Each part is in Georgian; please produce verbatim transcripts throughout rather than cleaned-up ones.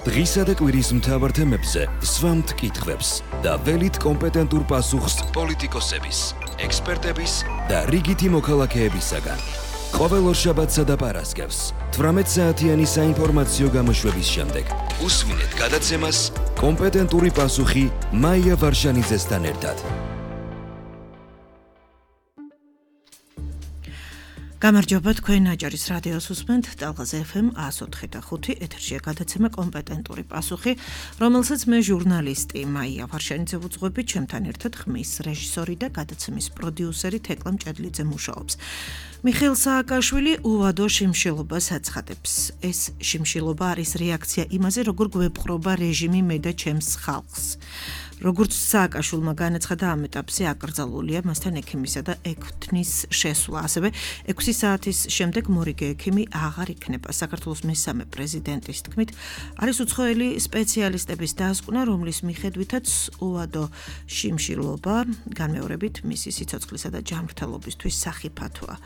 დღისა და კვირის მთავარ თემებზე სვამთ კითხვებს და ველით კომპეტენტურ პასუხს პოლიტიკოსების, ექსპერტების და რიგითი მოქალაქეებისაგან. ყოველ ორშაბათსა და პარასკევს თვრამეტ საათიანი საინფორმაციო გამოშვების შემდეგ უსმინეთ გადაცემას კომპეტენტური პასუხი მაია ვარშანიძესთან ერთად. გამარჯობა, თქვენ აჭარის რადიოს უსმენთ ტალღაზე ეფ ემ one oh four და ხუთი ეთერშია გადაცემა კომპეტენტური პასუხი, რომელსაც მე ჟურნალისტი მაია ვარშანიძე ვუძღვები, ჩემთან ერთად ხმის რეჟისორი და გადაცემის პროდიუსერი თეკლა მჭედლიძე მუშაობს. მიხეილ სააკაშვილი უვადო შიმშილობას აცხადებს. ეს შიმშილობა არის რეაქცია იმაზე, როგორ გვეპყრობა რეჟიმი მე და ჩემს ხალხს. როგორც სააკაშვილმა განაცხადა, ამ ეტაპზე აკრძალულია მასთან ექიმისა და ექვთნის შესვლა. ასევე ექვსი საათის შემდეგ მორიგე ექიმი აღარ იქნება. საქართველოს მესამე პრეზიდენტის თქმით, არის უცხოელი სპეციალისტების დასკვნა, რომლის მიხედვითაც უვადო შიმშილობა განმეორებით მისი სიცოცხლისა და ჯანმრთელობისთვის სახიფათოა.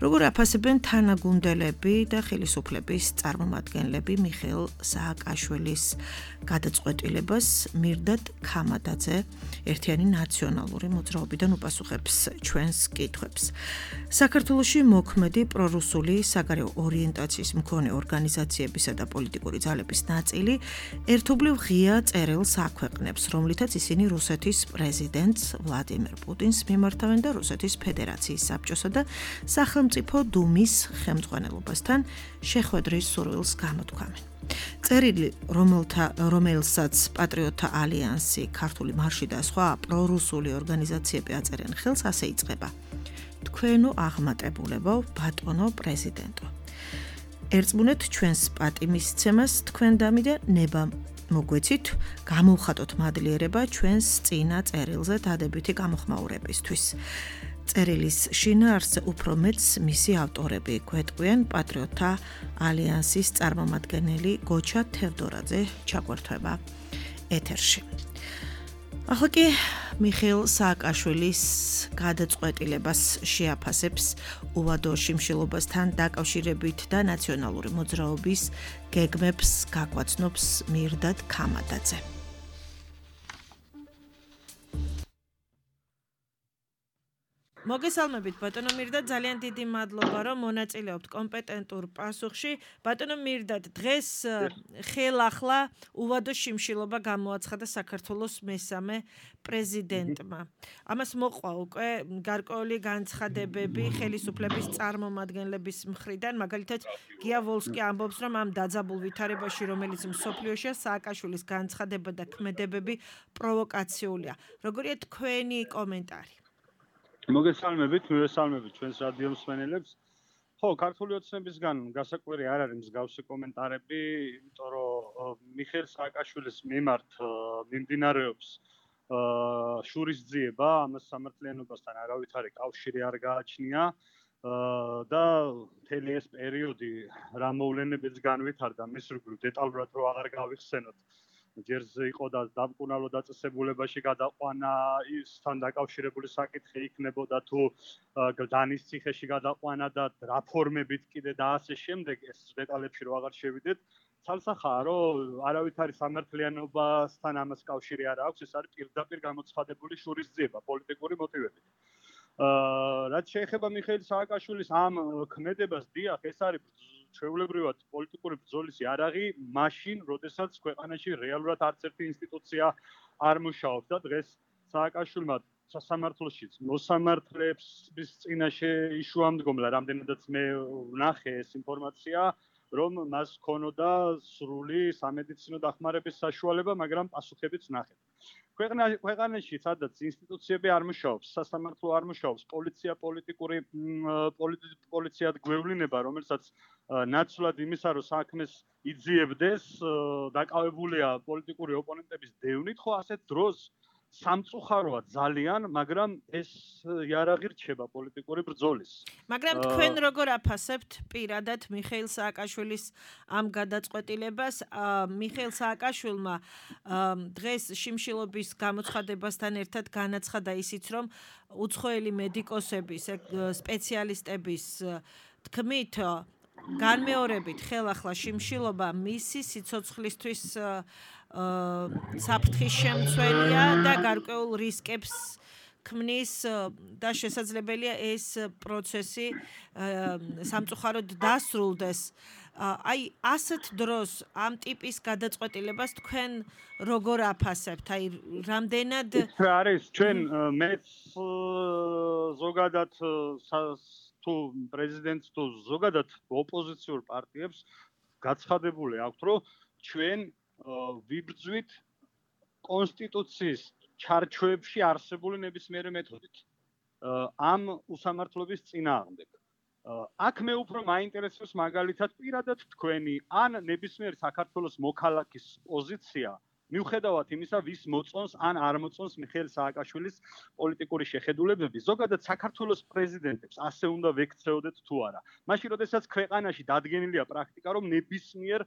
როგორ აფასებენ თანაგუნდელები და ხელისუფლების წარმომადგენლები მიხეილ სააკაშვილის გადაწყვეტილებას, მირდად ქამადაძე ერთიანი ნაციონალური მოძრაობიდან უპასუხებს ჩვენს კითხვებს. საქართველოში მოქმედი პრორუსული საგარეო ორიენტაციის მქონე ორგანიზაციებისა და პოლიტიკური ძალების ნაწილი ერთობლივ ღია წერილს აქვეყნებს, რომლითაც ისინი რუსეთის პრეზიდენტს ვლადიმერ პუტინს მიმართავენ და რუსეთის ფედერაციის საბჭოსა და სახელმწიფო დუმის ხელმძღვანელობასთან შეხვედრის სურვილს გამოთქვამენ. წერილი, რომელთა რომელსაც პატრიოტთა ალიანსი, ქართული მარში და სხვა პრორუსული ორგანიზაციები აწერენ ხელს, ასე იწყება. თქვენო აღმატებულებო, ბატონო პრეზიდენტო. ერწმუნეთ ჩვენს პატიმისცემას თქვენდამი და ნება მოგვეცით, გამოვხატოთ მადლიერება ჩვენს წინა წერილზე დადებითი გამოხმაურებისთვის. წერილის შინაარსზე უფრო მეტს მისი ავტორები გვეტყვიან პატრიოტთა ალიანსის წარმომადგენელი გოჩა თევდორაძე ჩაგვერთვება ეთერში. ახლა კი მიხეილ სააკაშვილის გადაწყვეტილებას შეაფასებს უვადო შიმშილობასთან დაკავშირებით და ნაციონალური მოძრაობის გეგმებს გაგვაცნობს მირდად ქამადაძე. მოგესალმებით ბატონო მირდად, ძალიან დიდი მადლობა რომ მონაწილეობთ კომპეტენტურ პასუხში. ბატონო მირდად, დღეს ხელახლა უვადო შიმშილობა გამოაცხადა საქართველოს მესამე პრეზიდენტმა. ამას მოყვა უკვე გარკვეული განცხადებები ხელისუფლების წარმომადგენლების მხრიდან, მაგალითად გია ვოლსკი ამბობს, რომ ამ დაძაბულ ვითარებაში, რომელიც მსოფლიოშია, სააკაშვილის განცხადება და ქმედებები პროვოკაციულია. როგორია თქვენი კომენტარი? მოგესალმებით, მივესალმებით ჩვენს რადიო მსმენელებს. ხო, ქართული ოცნებისგან გასაკვირი არ არის მსგავსი კომენტარები, იმიტომ რომ მიხეილ სააკაშვილის მიმართ მიმდინარეობს შურისძიება, ამას სამართლიანობასთან არავითარი კავშირი არ გააჩნია და მთელი ეს პერიოდი რა მოვლენებიც განვითარდა, მის რიგ დეტალურად რო აღარ გავიხსენოთ. ჯერზე იყო და დამკუნალო დაწესებულებაში გადაყვანა, ისთან დაკავშირებული საკითხი იქნებოდა თუ გლდანის ციხეში გადაყვანა და რა ფორმებით კიდე და ასე შემდეგ, ეს დეტალებში რო აღარ შევიდეთ. ცალსახაა, რომ არავითარი სამართლიანობასთან ამას კავშირი არ აქვს, ეს არის პირდაპირ გამოცხადებული შურისძიება პოლიტიკური მოტივებით. რაც შეეხება მიხეილ სააკაშვილის ამ ქმედებას, დიახ, ეს არის ჩვეულებრივად პოლიტიკური ბრძოლის იარაღი, მაშინ, როდესაც ქვეყანაში რეალურად არც ერთი ინსტიტუცია არ მუშაობს და დღეს სააკაშვილმა სასამართლოშიც მოსამართლეების წინაშე იშუამდგომლა, რამდენადაც მე ვნახე ეს ინფორმაცია, რომ მას ჰქონოდა სრული სამედიცინო დახმარების საშუალება, მაგრამ პასუხებიც ვნახეთ. ქვეყანაში სადაც ინსტიტუციები არ მუშაობს, სასამართლო არ მუშაობს, პოლიცია პოლიტიკური პოლიციად გვევლინება, რომელსაც ნაცვლად იმისა, რომ საქმეს იძიებდეს, დაკავებულია პოლიტიკური ოპონენტების დევნით, ხო ასეთ დროს სამწუხაროა ძალიან, მაგრამ ეს იარაღი რჩება პოლიტიკური ბრძოლის. მაგრამ თქვენ როგორ აფასებთ პირადად მიხეილ სააკაშვილის ამ გადაწყვეტილებას? მიხეილ სააკაშვილმა დღეს შიმშილობის გამოცხადებასთან ერთად განაცხადა ისიც, რომ უცხოელი მედიკოსების, სპეციალისტების თქმით განმეორებით ხელახლა შიმშილობა მისი სიცოცხლისთვის საფრთხის შემცველია და გარკვეულ რისკებს ქმნის და შესაძლებელია ეს პროცესი სამწუხაროდ დასრულდეს. აი ასეთ დროს ამ ტიპის გადაწყვეტილებას თქვენ როგორ აფასებთ? აი რამდენად რა არის ჩვენ მეც ზოგადად თუ პრეზიდენტს თუ ზოგადად ოპოზიციურ პარტიებს გაცხადებული აქვთ, რომ ჩვენ ვიბრძვით კონსტიტუციის ჩარჩოებში არსებული ნებისმიერი მეთოდით ამ უსამართლობის წინააღმდეგ. აქ მე უფრო მაინტერესებს მაგალითად პირადად თქვენი ან ნებისმიერი საქართველოს მოქალაქის პოზიცია მიუხედავად იმისა, ვის მოწონს ან არ მოწონს მიხეილ სააკაშვილის პოლიტიკური შეხედულებები, ზოგადად საქართველოს პრეზიდენტებს ასე უნდა ვექცეოდეთ თუ არა. მაშინ, როდესაც ქვეყანაში დადგენილია პრაქტიკა, რომ ნებისმიერ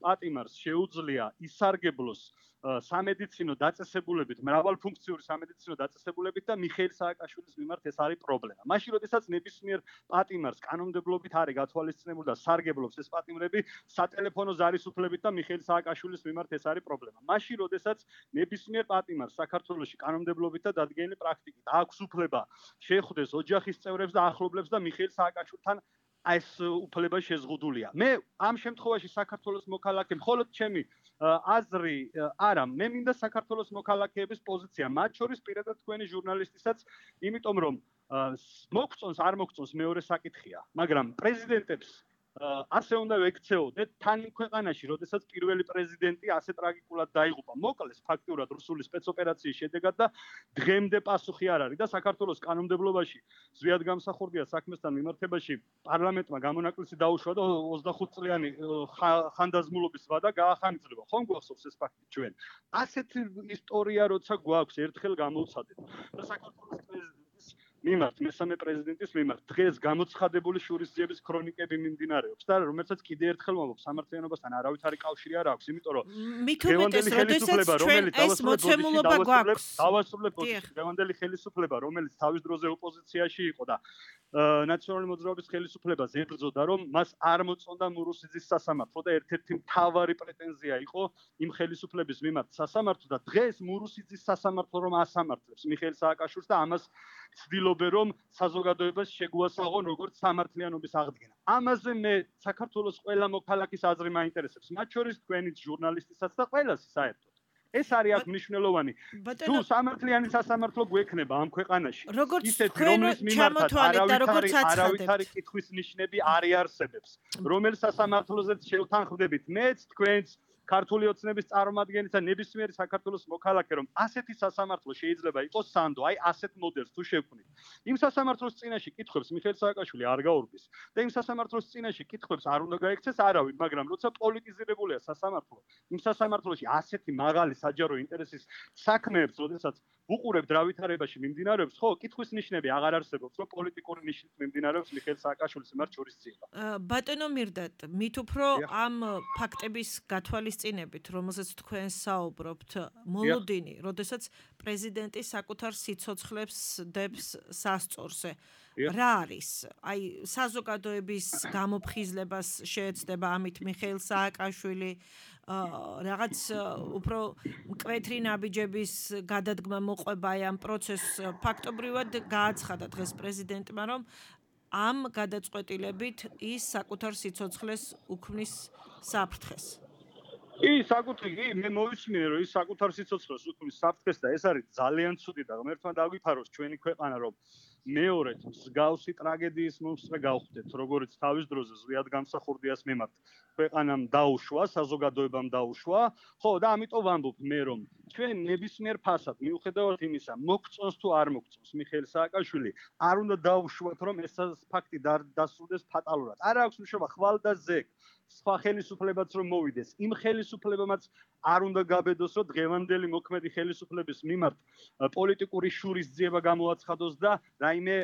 პატიმარს შეუძლია ისარგებლოს სამედიცინო დაწესებულებით, მრავალფუნქციური სამედიცინო დაწესებულებით და მიხეილ სააკაშვილის მიმართ ეს არის პრობლემა. მაშინ, როდესაც ნებისმიერ პატიმარს კანონმდებლობით არის გათვალისწინებული და სარგებლობს ეს პატიმრები სატელეფონო ზარისუფლებით და მიხეილ სააკაშვილის მიმართ ეს არის პრობლემა. მაშინ, როდესაც ნებისმიერ პატიმარს საქართველოში კანონმდებლობით და დადგენილი პრაქტიკით აქვს უფლება შეხვდეს ოჯახის წევრებს და ახლობლებს და მიხეილ სააკაშვილთან ეს უფლება შეზღუდულია. მე ამ შემთხვევაში საქართველოს მოქალაქე მხოლოდ ჩემი აზრი არა, მე მინდა საქართველოს მოქალაქეების პოზიცია, მათ შორის პირადად თქვენი ჟურნალისტისაც, იმიტომ რომ მოგწონს არ მოგწონს მეორე საკითხია, მაგრამ პრეზიდენტებს ასე უნდა ვექცეოდეთ თან იმ ქვეყანაში, როდესაც პირველი პრეზიდენტი ასე ტრაგიკულად დაიღუპა. მოკლეს ფაქტურად რუსული სპეცოპერაციის შედეგად და დღემდე პასუხი არ არის და საქართველოს კანონმდებლობაში ზვიად გამსახურდია საქმესთან მიმართებაში პარლამენტმა გამონაკლისი დაუშვა და ოცდახუთ წლიანი ხანდაზმულობის ვადა გაახანგრძლივა. ხომ გვახსოვს ეს ფაქტი ჩვენ? ასეთი ისტორია როცა გვაქვს, ერთხელ გამოვცადეთ. და საქართველოს პრეზიდენტის მიმართ, მესამე პრეზიდენტის მიმართ დღეს გამოცხადებული შურისძიების ქრონიკები მიმდინარეობს და რომელსაც კიდე ერთხელ მომაქვს სამართლიანობასთან არავითარი კავშირი არ აქვს, იმიტომ რომ მით უმეტეს, როდესაც ჩვენ ეს მოცემულობა გვაქვს. დავასრულებ დღევანდელი ხელისუფლება, რომელიც თავის დროზე ოპოზიციაში იყო და ნაციონალური მოძრაობის ხელისუფლებას ებრძოდა, რომ მას არ მოწონდა მურუსიძის სასამართლო და ერთ-ერთი მთავარი პრეტენზია იყო იმ ხელისუფლების მიმართ სასამართლო და დღეს მურუსიძის სასამართლო რომ ასამართლებს მიხეილ სააკაშვილს და ამას ცდილობენ რომ საზოგადოებას შეგვასაღონ როგორც სამართლიანობის აღდგენა. ამაზე მე საქართველოს ყველა მოქალაქის აზრი მაინტერესებს, მათ შორის თქვენიც ჟურნალისტისაც და ყველას საერთოდ. ეს არის აქ მნიშვნელოვანი. თუ სამართლიანი სასამართლო გვექნება ამ ქვეყანაში, ისეთი რომლის მიმართაც არავითარი კითხვის ნიშნები არ იარსებებს, რომელ სასამართლოზეც შევთანხმდებით მეც, თქვენც ქართული ოცნების წარმომადგენლის და ნებისმიერი საქართველოს მოქალაქე, რომ ასეთი სასამართლო შეიძლება იყოს სანდო, აი ასეთ მოდელს თუ შევქმნით. იმ სასამართლოს წინაშე კითხვებს მიხეილ სააკაშვილი არ გაურბის და იმ სასამართლოს წინაშე კითხვებს არ უნდა გაექცეს არავინ, მაგრამ როცა პოლიტიზირებულია სასამართლო, იმ სასამართლოში ასეთი მაღალი საჯარო ინტერესის საქმეებს, როდესაც უყურებთ რა ვითარებაში მიმდინარეობს, ხო, კითხვის ნიშნები აღარ არსებობს, რომ პოლიტიკური ნიშნით მიმდინარეობს მიხეილ სააკაშვილის მიმართ შურისძიება. ბატონო მირდატ, მით უფრო ამ ფაქტების გათვალისწინებით, რომელზეც თქვენ საუბრობთ, მოლოდინი, როდესაც პრეზიდენტი საკუთარ სიცოცხლებს დებს სასწორზე. რა არის? აი, საზოგადოების გამოფხიზლებას შეეცდება ამით მიხეილ სააკაშვილი, რაღაც უფრო მკვეთრი ნაბიჯების გადადგმა მოყვება ამ პროცესს. ფაქტობრივად გააცხადა დღეს პრეზიდენტმა, რომ ამ გადაწყვეტილებით ის საკუთარ სიცოცხლეს უქმნის საფრთხეს. კი, საკუთარი, მე მოვისმინე, რომ ის საკუთარ სიცოცხლეს უქმნის საფრთხეს და ეს არის ძალიან ცუდი და ღმერთმა დაგვიფაროს ჩვენი ქვეყანა, რომ მეორედ მსგავსი ტრაგედიის მომსწრე გავხდეთ, როგორც თავის დროზე ზვიად გამსახურდიას მიმართ ქვეყანამ დაუშვა, საზოგადოებამ დაუშვა. ხო, და ამიტომ ვამბობ მე, რომ ჩვენ ნებისმიერ ფასად, მიუხედავად იმისა, მოგწონს თუ არ მოგწონს მიხეილ სააკაშვილი, არ უნდა დაუშვათ, რომ ეს ფაქტი დასრულდეს ფატალურად. არ აქვს მნიშვნელობა ხვალ და ზეგ. სხვა ხელისუფლებაც რომ მოვიდეს, იმ ხელისუფლებამაც არ უნდა გაბედოს, რომ დღევანდელი მოქმედი ხელისუფლების მიმართ პოლიტიკური შურისძიება გამოაცხადოს და რაიმე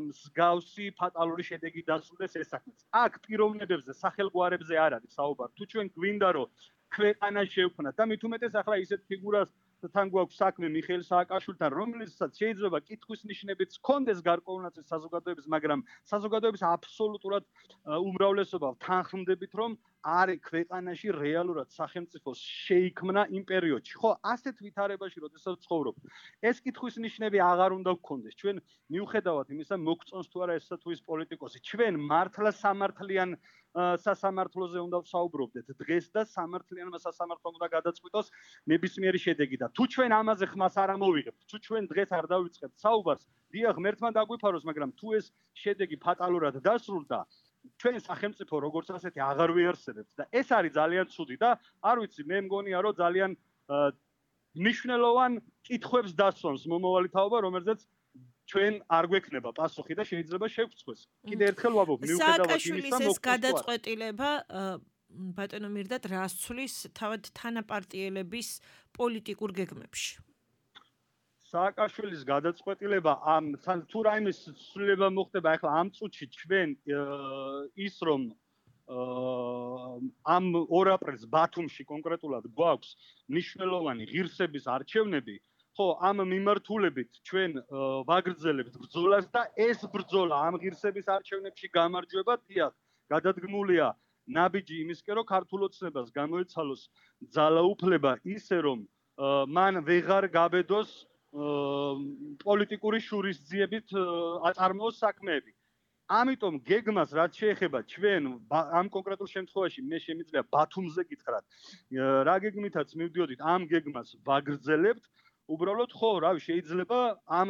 მსგავსი ფატალური შედეგი დასრულდეს ეს საქმეც. აქ პიროვნებებზე, სახელგვარებზე არ არის საუბარი. თუ ჩვენ გვინდა რომ ქვეყანა შევქმნათ და მით უმეტეს ახლა ისეთ ფიგურას თან გვაქვს საქმე მიხეილ სააკაშვილთან, რომელსაც შეიძლება კითხვის ნიშნებიც ჰქონდეს გარკვეულნაირად საზოგადოების, მაგრამ საზოგადოების აბსოლუტურად უმრავლესობა თანხმდებით, რომ არის ქვეყანაში რეალურად სახელმწიფოს შეიქმნა იმ პერიოდში. ხო, ასეთ ვითარებაში, როდესაც ცხოვრობ, ეს კითხვის ნიშნები აღარ უნდა გქონდეს. ჩვენ მიუხედავად იმისა, მოგწონს თუ არა ესა თუ ის პოლიტიკოსი, ჩვენ მართლა სამართლიან სასამართლოზე უნდა ვსაუბრობდეთ დღეს და სამართლიანმა სასამართლომ უნდა გადაწყვიტოს ნებისმიერი შედეგი და თუ ჩვენ ამაზე ხმას არ ამოვიღებთ, თუ ჩვენ დღეს არ დავიწყებთ საუბარს, დიახ, ღმერთმა დაგვიფაროს, მაგრამ თუ ეს შედეგი ფატალურად დასრულდა, ჩვენ სახელმწიფო როგორც ასეთი აღარ ვიარსებებთ და ეს არის ძალიან ცუდი და არ ვიცი, მე მგონია რომ ძალიან მნიშვნელოვან კითხვებს დასვამს მომავალი თაობა, რომელზეც ჩვენ არ გვექნება პასუხი და შეიძლება შევწყვეს. კიდე ერთხელ ვამბობ, მიუხედავად იმისა, ეს გადაწყვეტილება ბატონო მირდატ რას ცვლის თავად თანაპარტიელების პოლიტიკურ გეგმებში? სააკაშვილის გადაწყვეტილება ამ თუ რაიმე ცვლილება მოხდება ახლა ამ წუთში ჩვენ ის რომ ამ ორ აპრილს ბათუმში კონკრეტულად გვაქვს მნიშვნელოვანი ღირსების არჩევნები, ხო, ამ მიმართულებით ჩვენ ვაგრძელებთ ბრძოლას და ეს ბრძოლა ამ ღირსების არჩევნებში გამარჯვება, დიახ, გადადგმულია ნაბიჯი იმისკენ, რომ ქართულ ოცნებას გამოეცალოს ძალაუფლება ისე, რომ მან ვეღარ გაბედოს პოლიტიკური შურისძიებით აწარმოოს საქმეები. ამიტომ გეგმას რაც შეეხება ჩვენ ამ კონკრეტულ შემთხვევაში მე შემიძლია ბათუმზე გითხრათ, რა გეგმითაც მივდიოდით ამ გეგმას ვაგრძელებთ, უბრალოდ ხო, რავი, შეიძლება ამ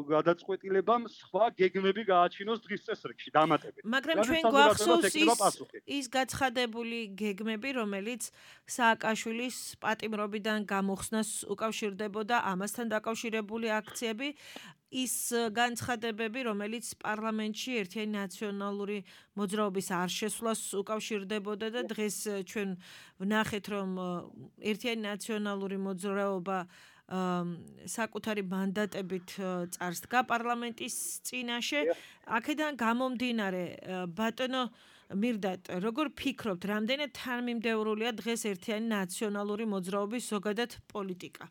გადაწყვეტილებამ სხვა გეგმები გააჩინოს დღის წესრიგში დამატებით. მაგრამ ჩვენ გვახსოვს ის გაცხადებული გეგმები, რომელიც სააკაშვილის პატიმრობიდან გამოხსნას უკავშირდებოდა, ამასთან დაკავშირებული აქციები, ის განცხადებები, რომელიც პარლამენტში ერთიანი ნაციონალური მოძრაობის არ შესვლას უკავშირდებოდა და დღეს ჩვენ ვნახეთ, რომ ერთიანი ნაციონალური მოძრაობა საკუთარი მანდატებით წარსდგა პარლამენტის წინაშე. აქედან გამომდინარე, ბატონო მირდატ, როგორ ფიქრობთ, რამდენად თანმიმდევრულია დღეს ერთიანი ნაციონალური მოძრაობის ზოგადად პოლიტიკა?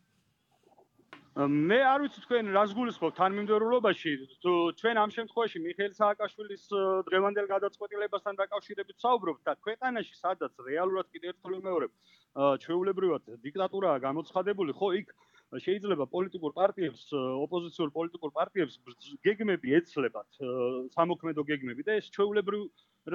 მე არ ვიცი თქვენ რას გულისხმობთ თანმიმდევრულობაში, თუ ჩვენ ამ შემთხვევაში მიხეილ სააკაშვილის დღევანდელ გადაწყვეტილებასთან დაკავშირებით საუბრობთ და ქვეყანაში, სადაც რეალურად კიდევ ერთხელ ვიმეორებ, ჩვეულებრივად დიქტატურაა გამოცხადებული, ხო, იქ შეიძლება პოლიტიკურ პარტიებს, ოპოზიციურ პოლიტიკურ პარტიებს გეგმები ეცლებათ, სამოქმედო გეგმები და ეს ჩვეულებრივ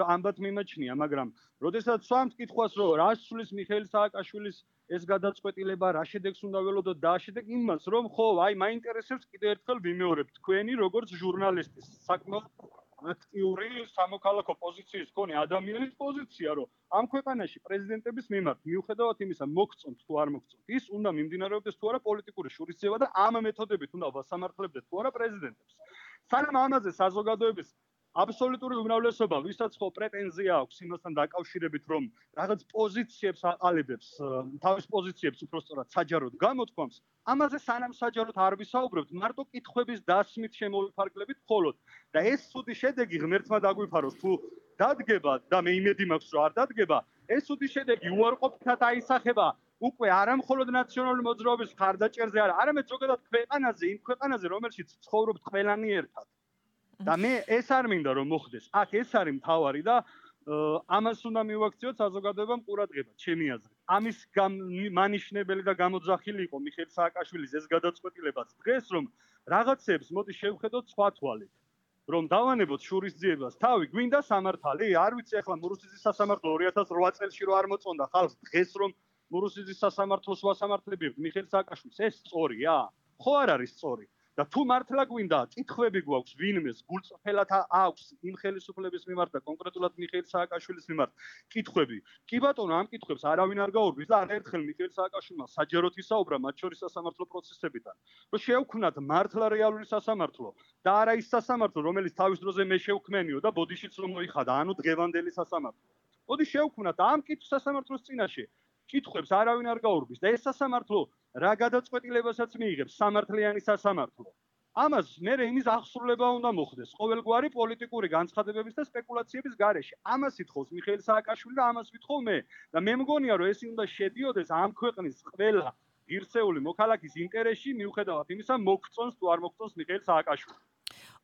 ამბად მიმაჩნია, მაგრამ როდესაც სვამთ კითხვას, რომ რას ცვლის მიხეილ სააკაშვილის ეს გადაწყვეტილება, რა შედეგს უნდა ველოდოთ და შედეგ იმას, რომ ხო, აი, მაინტერესებს კიდევ ერთხელ ვიმეორებ თქვენი როგორც ჟურნალისტის, საკმაოდ აქტიური სამოქალაქო პოზიციის მქონე ადამიანის პოზიცია, რომ ამ ქვეყანაში პრეზიდენტების მიმართ, მიუხედავად იმისა, მოგწონთ თუ არ მოგწონთ, ის უნდა მიმდინარეობდეს თუ არა პოლიტიკური შურისძიება და ამ მეთოდებით უნდა ვასამართლებდეთ თუ არა პრეზიდენტებს. სანამ ამაზე საზოგადოების აბსოლუტური უმრავლესობა, ვისაც ხო პრეტენზია აქვს იმასთან დაკავშირებით, რომ რაღაც პოზიციებს აყალიბებს, თავის პოზიციებს უпростоრად საჯაროდ გამოთქვამს, ამაზე სანამ საჯაროდ არ ვისაუბრებთ, მარტო კითხვების დასმით შემოვიფარგლებით მხოლოდ და ეს ცუდი შედეგი ღმერთმა დაგვიფაროს, თუ დადგება და მე იმედი მაქვს, რომ არ დადგება, ეს ცუდი შედეგი უარყოფითად აისახება უკვე არა მხოლოდ ნაციონალური მოძრაობის მხარდაჭერზე, არამედ ზოგადად ქვეყანაზე, იმ ქვეყანაზე, რომელშიც ცხოვრობთ ყველანი ერთად. და მე ეს არ მინდა რომ მოხდეს. აქ ეს არის მთავარი და ამას უნდა მივაქციოთ საზოგადოებამ ყურადღება, ჩემი აზრით. ამის მანიშნებელი და გამოძახილი იყო მიხეილ სააკაშვილის ეს გადაწყვეტილებაც დღეს, რომ რაღაცებს მოდი შევხედოთ სხვა თვალით. რომ დავანებოთ შურისძიებას თავი, გვინდა სამართალი? არ ვიცი, ახლა მურუსიძის სასამართლო ორი ათას რვა წელში რო არ მოწონდა ხალხს, დღეს რომ მურუსიძის სასამართლოს ვასამართლებთ მიხეილ სააკაშვილს, ეს სწორია? ხო არ არის სწორი. და თუ მართლა გვინდა, კითხვები გვაქვს ვინმეს, გულწრფელად აქვს იმ ხელისუფლების მიმართ და კონკრეტულად მიხეილ სააკაშვილის მიმართ კითხვები. კი ბატონო, ამ კითხვებს არავინ არ გაურბის და არაერთხელ მიხეილ სააკაშვილმა საჯაროდ ისაუბრა მათ შორის სასამართლო პროცესებიდან, რომ შევქმნათ მართლა რეალური სასამართლო და არა ის სასამართლო, რომელიც თავის დროზე მე შევქმენიო და ბოდიშიც რომ მოიხადა, ანუ დღევანდელი სასამართლო. მოდი შევქმნათ ამ კითხვის სასამართლოს წინაშე. კითხვებს არავინ არ გაურბის და ეს სასამართლო რა გადაწყვეტილებასაც მიიღებს, სამართლიანი სასამართლო. ამას მერე იმის აღსრულება უნდა მოხდეს ყოველგვარი პოლიტიკური განცხადებების და სპეკულაციების გარეშე. ამას ითხოვს მიხეილ სააკაშვილი და ამას ვითხოვ მე. და მე მგონია, რომ ეს უნდა შედიოდეს ამ ქვეყნის ყველა ღირსეული მოქალაქის ინტერესში მიუხედავად იმისა მოგწონს თუ არ მოგწონს მიხეილ სააკაშვილი.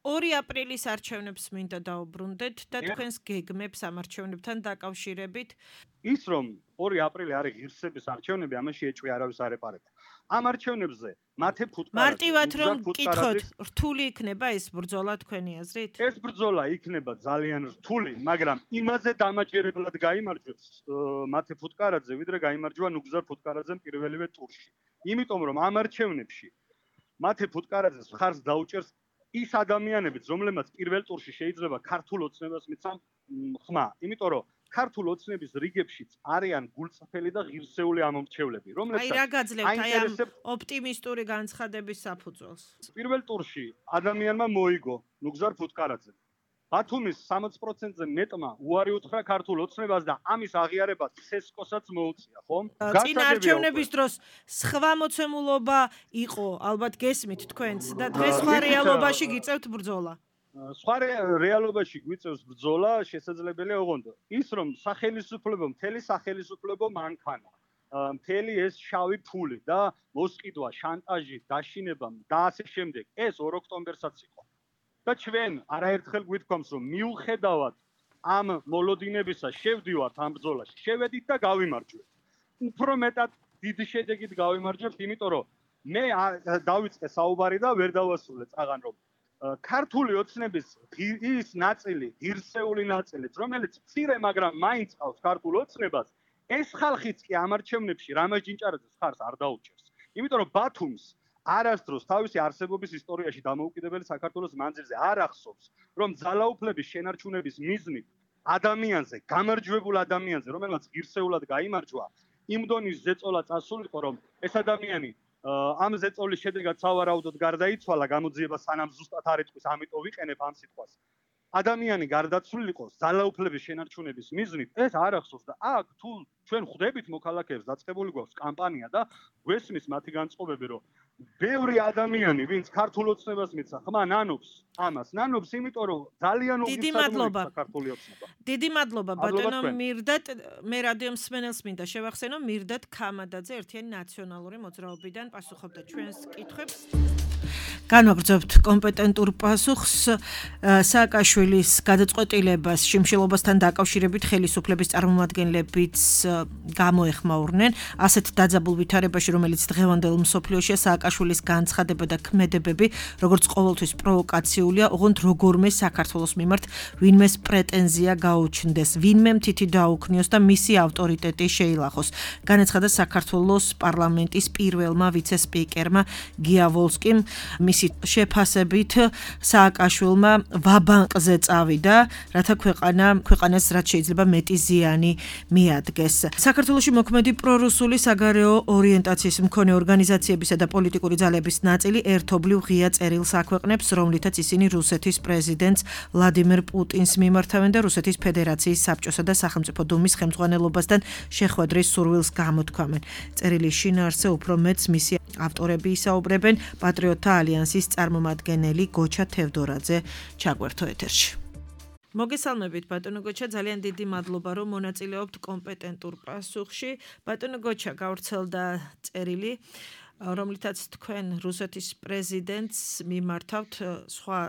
ორი აპრილის არჩევნებს მინდა დაუბრუნდეთ და თქვენს გეგმებს ამ არჩევნებთან დაკავშირებით. ის რომ ორი აპრილი არის ღირსების არჩევნები, ამაში ეჭვი არავის არ ეპარება. ამ არჩევნებზე მათე ფუტკარაძე მარტივად რომ გკითხოთ, რთული იქნება ეს ბრძოლა თქვენი აზრით? ეს ბრძოლა იქნება ძალიან რთული, მაგრამ იმაზე დამაჯერებლად გაიმარჯვებს მათე ფუტკარაძე, ვიდრე გაიმარჯვა ნუგზარ ფუტკარაძემ პირველივე ტურში. იმიტომ რომ ამ არჩევნებში მათე ფუტკარაძეს ხარს დაუჭერს ის ადამიანებიც, რომლებმაც პირველ ტურში შეიძლება ქართულ ოცნებას მიცან ხმა. იმიტომ რომ ქართულ ოცნების რიგებშიც არიან გულწრფელი და ღირსეული ამომრჩევლები, რომლებსაც აი რა გაძლევთ აი ამ ოპტიმისტური განცხადების საფუძველს? პირველ ტურში ადამიანმა მოიგო ნუგზარ ფუტკარაძე. ბათუმის სამოცი პროცენტზე მეტმა უარი უთხრა ქართულ ოცნებას და ამის აღიარება ცესკოსაც მოუწია, ხომ? წინა არჩევნების დროს სხვა მოცემულობა იყო, ალბათ გესმით თქვენც და დღეს სხვა რეალობაში გიწევთ ბრძოლა. სხვა რეალობაში გვიწევს ბრძოლა, შესაძლებელია ოღონდ ის რომ სახელმწიფო, მთელი სახელმწიფო მანქანა, მთელი ეს შავი ფული და მოსყიდვა, შანტაჟი, დაშინება და ასე შემდეგ, ეს ორ ოქტომბერსაც იყო. და ჩვენ არაერთხელ გვითქვამს რომ მიუხედავად ამ მოლოდინებისა შევდივართ ამ ბრძოლაში, შევედით და გავიმარჯვეთ. უფრო მეტად დიდი შედეგით გავიმარჯვებთ, იმიტომ რომ მე დავიწყე საუბარი და ვერ დავასრულე წაღან რომ ქართული ოცნების ის ნაწილი, ღირსეული ნაწილიც, რომელიც მცირე, მაგრამ მაინც ყავს ქართულ ოცნებას, ეს ხალხიც კი ამ არჩევნებში რამაზ ჯინჭარაძეს ხარს არ დაუჭერს. იმიტომ რომ ბათუმს არასდროს თავისი არსებობის ისტორიაში დამოუკიდებელი საქართველოს მანძილზე არ ახსოვს, რომ ძალაუფლების შენარჩუნების მიზნით ადამიანზე, გამარჯვებულ ადამიანზე, რომელმაც ღირსეულად გაიმარჯვა, იმ დონის ზეწოლა წასულიყო, რომ ეს ადამიანი ამ ზეწოლის შედეგად სავარაუდოდ გარდაიცვალა, გამოძიება სანამ ზუსტად არ ეთქვის, ამიტომ ვიყენებ ამ სიტყვას. ადამიანი გარდაცვლილიყო ძალაუფლების შენარჩუნების მიზნით, ეს არ ახსოვს და აქ თუ ჩვენ ხვდებით მოქალაქეებს, დაწყებული გვაქვს კამპანია და გვესმის მათი განწყობები, რომ ბევრი ადამიანი, ვინც ქართულ ოცნებას მიცა, ხმა ნანობს ამას, ნანობს იმიტომ, რომ ძალიან უგისადმოა ქართული ოცნება. დიდი მადლობა ბატონო მირდატ, მე რადიო მსმენელს მინდა შევახსენო, მირდატ ქამადაძე ერთიანი ნაციონალური მოძრაობიდან პასუხობდა ჩვენს კითხვებს. განვაგრძობთ კომპეტენტურ პასუხს სააკაშვილის გადაწყვეტილებას შიმშილობასთან დაკავშირებით ხელისუფლების წარმომადგენლებიც გამოეხმაურნენ. ასეთ დაძაბულ ვითარებაში, რომელიც დღევანდელ მსოფლიოშია, სააკაშვილის განცხადება და ქმედებები, როგორც ყოველთვის პროვოკაციულია, ოღონდ როგორმე საქართველოს მიმართ ვინმეს პრეტენზია გაუჩნდეს, ვინმე მთითი დაუქნიოს და მისი ავტორიტეტი შეილახოს. განაცხადა საქართველოს პარლამენტის პირველმა ვიცე-სპიკერმა გია ვოლსკიმ. მისი შეფასებით სააკაშვილმა ვაბანკზე წავიდა, რათა ქვეყანა ქვეყანას რაც შეიძლება მეტი ზიანი მიადგეს. საქართველოში მოქმედი პრორუსული საგარეო ორიენტაციის მქონე ორგანიზაციებისა და პოლიტიკური ძალების ნაწილი ერთობლივ ღია წერილს აქვეყნებს, რომლითაც ისინი რუსეთის პრეზიდენტს ვლადიმერ პუტინს მიმართავენ და რუსეთის ფედერაციის საბჭოსა და სახელმწიფო დუმის ხელმძღვანელობასთან შეხვედრის სურვილს გამოთქვამენ. წერილის შინაარსზე უფრო მეტს მისი ავტორები ისაუბრებენ პატრიოტთა ალიანსის წარმომადგენელი გოჩა თევდორაძე ჩაგვერთო ეთერში. მოგესალმებით ბატონო გოჩა, ძალიან დიდი მადლობა რომ მონაწილეობთ კომპეტენტურ პასუხში. ბატონო გოჩა, გავრცელდა წერილი, რომლითაც თქვენ რუსეთის პრეზიდენტს მიმართავთ სხვა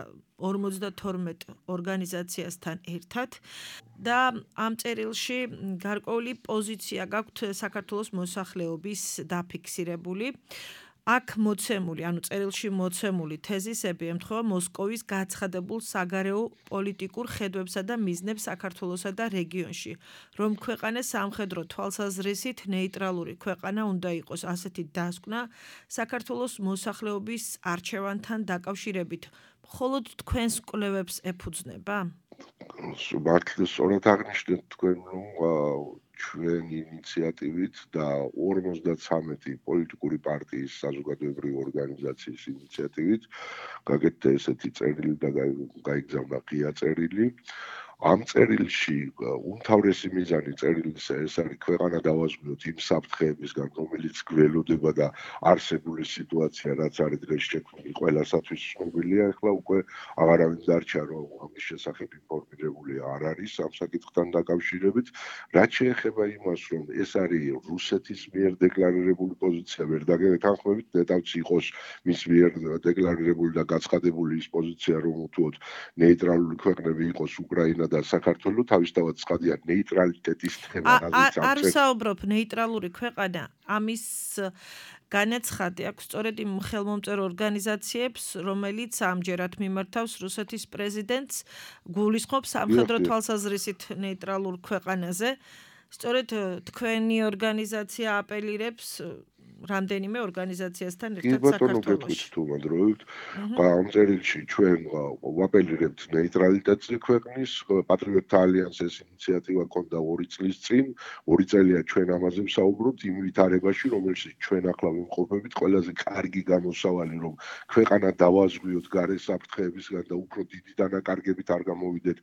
ორმოცდათორმეტ ორგანიზაციასთან ერთად და ამ წერილში გარკვეული პოზიცია გაქვთ საქართველოს მოსახლეობის დაფიქსირებული. აქ მოცემული, ანუ წერილში მოცემული თეზისები ემთხვევა მოსკოვის გაცხადებულ საგარეო პოლიტიკურ ხედვებსა და მიზნებს საქართველოსა და რეგიონში, რომ ქვეყანა სამხედრო თვალსაზრისით ნეიტრალური ქვეყანა უნდა იყოს. ასეთი დასკვნა საქართველოს მოსახლეობის არჩევანთან დაკავშირებით მხოლოდ თქვენს კვლევებს ეფუძნება? მართლა სწორად აღნიშნეთ თქვენ, რომ ჩვენი ინიციატივით და ორმოცდათვრამეტი პოლიტიკური პარტიის საზოგადოებრივი ორგანიზაციის ინიციატივით გაკეთდა ესეთი წერილი და გაიგზავნა ღია წერილი, ამ წერილში უმთავრესი მიზანი წერილისა ეს არის ქვეყანა დავაზღვიოთ იმ საფრთხეებისგან, რომელიც გველოდება და არსებული სიტუაცია რაც არის დღეს შექმნილი ყველასათვის ცნობილია, ახლა უკვე აღარავინ დარჩა რომ ამის შესახებ ინფორმირებული არ არის ამ საკითხთან დაკავშირებით, რაც შეეხება იმას რომ ეს არის რუსეთის მიერ დეკლარირებული პოზიცია, ვერ დაგეთანხმებით, ნეტავც იყოს მის მიერ დეკლარირებული და გაცხადებული ის პოზიცია რომ უთუოდ ნეიტრალური ქვეყნები იყოს უკრაინა და საქართველო, თავისთავად ცხადია ნეიტრალიტეტის თემა რაზეც არ საუბრობ ნეიტრალური ქვეყანა, ამის განაცხადი აქვს სწორედ იმ ხელმომწერო ორგანიზაციებს, რომელიც ამჯერად მიმართავს რუსეთის პრეზიდენტს, გულისხმობს სამხედრო თვალსაზრისით ნეიტრალურ ქვეყანაზე. სწორედ თქვენი ორგანიზაცია აპელირებს რამდენიმე ორგანიზაციასთან ერთად საქართველოში. თუმადროით, ამ წერილში ჩვენ ვაპელირებთ ნეიტრალიტეტზე ქვეყნის პატრიოტთა ალიანსის ინიციატივა ქონდა ორი წლის წინ, ორი წელია ჩვენ ამაზე ვსაუბრობთ იმ ვითარებაში, რომელშიც ჩვენ ახლა ვიმყოფებით, ყველაზე კარგი გამოსავალი რომ ქვეყანა დავაზღვიოთ გარე საფრთხეებისგან და უფრო დიდი დანაკარგებით არ გამოვიდეთ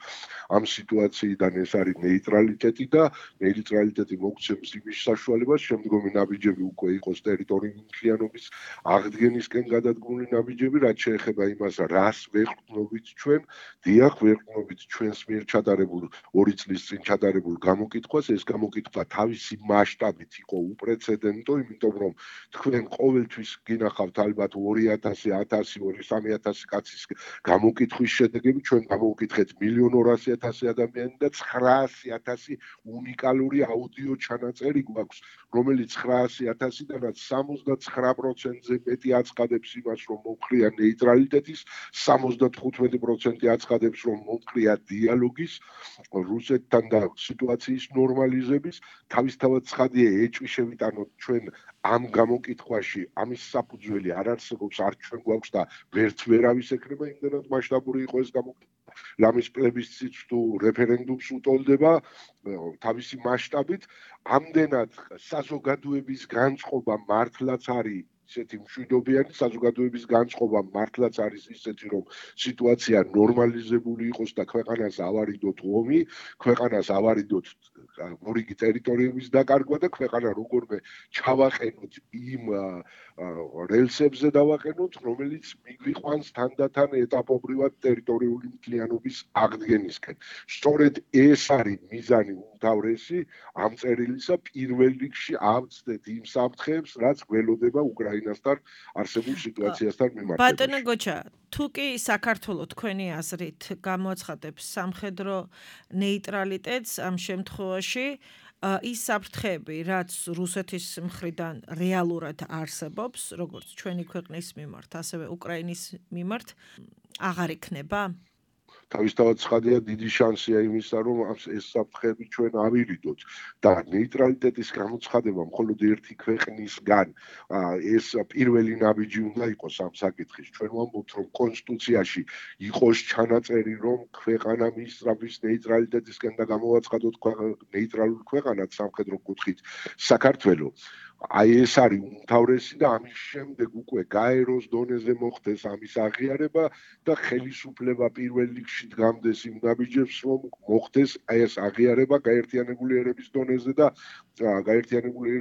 ამ სიტუაციიდან ეს არის ნეიტრალიტეტი და ნეიტრალიტეტი მოგცემს იმის საშუალებას, შემდგომი ნაბიჯები უკვე იყოს ტერიტორიული მთლიანობის აღდგენისკენ გადადგმული ნაბიჯები, რაც შეეხება იმას, რას ვეყრდნობით ჩვენ, დიახ, ვეყრდნობით ჩვენს მიერ ჩატარებულ ორი წლის წინ ჩატარებულ გამოკითხვას, ეს გამოკითხვა თავისი მასშტაბით იყო უპრეცედენტო, იმიტომ რომ თქვენ ყოველთვის გინახავთ ალბათ ორი ათასი, ათასი, სამი ათასი კაცის გამოკითხვის შედეგები, ჩვენ გამოვკითხეთ მილიონ ორასი ათასი ადამიანი და ცხრაასი ათასი უნიკალური აუდიო ჩანაწერი გვაქვს, რომელიც ცხრაასი ათასიდანაც სამოცდაცხრა პროცენტზე მეტი აცხადებს იმას, რომ მომხრია ნეიტრალიტეტის, სამოცდათხუთმეტი პროცენტი აცხადებს, რომ მომხრია დიალოგის, რუსეთთან და სიტუაციის ნორმალიზების, თავისთავად ცხადია ეჭვი შევიტანოთ ჩვენ ამ გამოკითხვაში, ამის საფუძველი არ არსებობს, არ ჩვენ გვაქვს და ვერც ვერავის ექნება იმდენად მასშტაბური იყო ეს გამოკითხვა. ლამის პლებისციტს თუ რეფერენდუმს უტოლდება თავისი მასშტაბით, ამდენად საზოგადოების განწყობა მართლაც არის ისეთი მშვიდობიანი საზოგადოების განწყობა მართლაც არის ისეთი რომ სიტუაცია ნორმალიზებული იყოს და ქვეყანას ავარიდოთ ომი, ქვეყანას ავარიდოთ მორიგი ტერიტორიების დაკარგვა და ქვეყანა როგორმე ჩავაყენოთ იმ რელსებზე დავაყენოთ, რომელიც მიგვიყვანს თანდათან ეტაპობრივად ტერიტორიული მთლიანობის აღდგენისკენ. სწორედ ეს არის მიზანი უმთავრესი ამ წერილისა, პირველ რიგში ავწდეთ იმ საფრთხეებს, რაც გველოდება უკრაინასთან არსებულ სიტუაციასთან მიმართებაში. ბატონო გოჩა, თუ კი საქართველო თქვენი აზრით გამოაცხადებს სამხედრო ნეიტრალიტეტს ამ შემთხვევაში, ის საფრთხეები, რაც რუსეთის მხრიდან რეალურად არსებობს, როგორც ჩვენი ქვეყნის მიმართ, ასევე უკრაინის მიმართ, აღარ იქნება? თავისთავად ცხადია დიდი შანსია იმისა, რომ ეს საფრთხეები ჩვენ ავირიდოთ და ნეიტრალიტეტის გამოცხადება მხოლოდ ერთი ქვეყნისგან ეს პირველი ნაბიჯი უნდა იყოს ამ საკითხის. ჩვენ ვამბობთ, რომ კონსტიტუციაში იყოს ჩანაწერი, რომ ქვეყანა მისწრაფის ნეიტრალიტეტისკენ და გამოვაცხადოთ ნეიტრალური ქვეყანად სამხედრო კუთხით საქართველო. აი ეს არის უმთავრესი და ამის შემდეგ უკვე გაეროს დონეზე მოხდეს ამის აღიარება და ხელისუფლება პირველ რიგში დგამდეს იმ ნაბიჯებს, რომ მოხდეს ეს აღიარება გაერთიანებული ერების დონეზე და გაერთიანებული